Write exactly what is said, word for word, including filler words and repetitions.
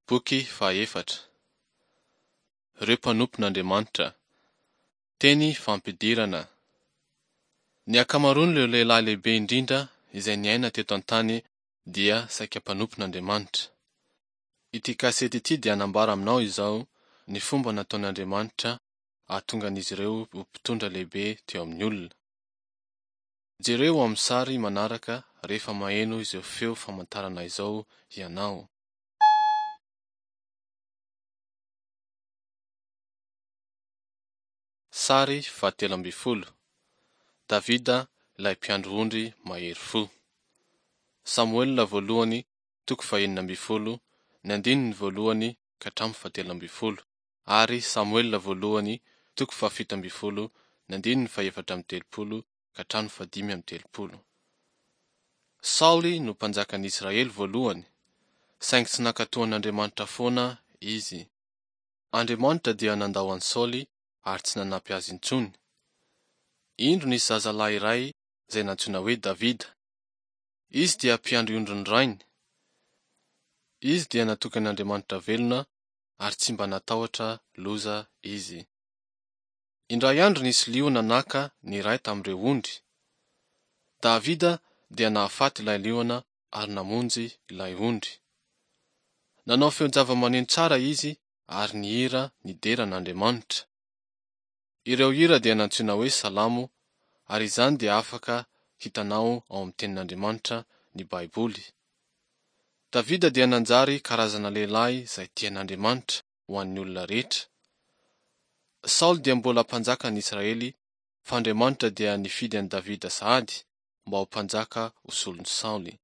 Boky fahaefatra. Ireo mpanompon'Andriamanitra. Teny fampidirana. Ny ankamaroan'ireo lehilahy lehibe indrindra izay niaina teto an-tany dia saika mpanompon'Andriamanitra. Ity kasety ity dia hanambara aminao izao ny fomba nataon'Andriamanitra hahatonga an'izy ireo ho mpitondra lehibe teo amin'ny olona. Jereo ao amin'ny sary manaraka rehefa maheno izao feo famantarana izao ianao. Sary fahatelo ambin'ny folo. Davida ilay mpiandry ondry mahery fo. Samoela voalohany toko fahenina ambin'ny folo, ny andininy voalohany ka hatramin'ny fahatelo ambin'ny folo ary Samoela voalohany toko fahafito ambin'ny folo, ny andininy fahefatra amby telopolo ka hatramin'ny fahadimy amby telopolo. Saoly no mpanjakan'ny Israely voalohany, saingy tsy nankatò an'Andriamanitra foana izy. Andriamanitra dia nandao an'i Saoly ary tsy nanampy azy intsony. Indro nisy zazalahy iray izay nantsoina hoe Davida. Izy dia mpiandry ondrin'ny rainy. Izy dia natoky an'Andriamanitra velona ary tsy mba natahotra loza izy. Indray andro nisy liona naka ny iray tamin'ireo ondry. Davida dia nahafaty ilay liona ary namonjy ilay ondry. Nanao feon-javamaneno tsara izy ary nihira nidera an'Andriamanitra. Ireo hira dia nantsoina hoe Salamo ary izany dia afaka hitanao ao amin'ny Tenin'Andriamanitra ny Baiboly. Davida dia nanjary karazana lehilahy izay tian'Andriamanitra ho an'ny olona rehetra. Saoly dia mbola mpanjakan'ny Israely fa Andriamanitra dia nifidy an'i Davida sahady mba ho mpanjaka ho solon'i Saoly.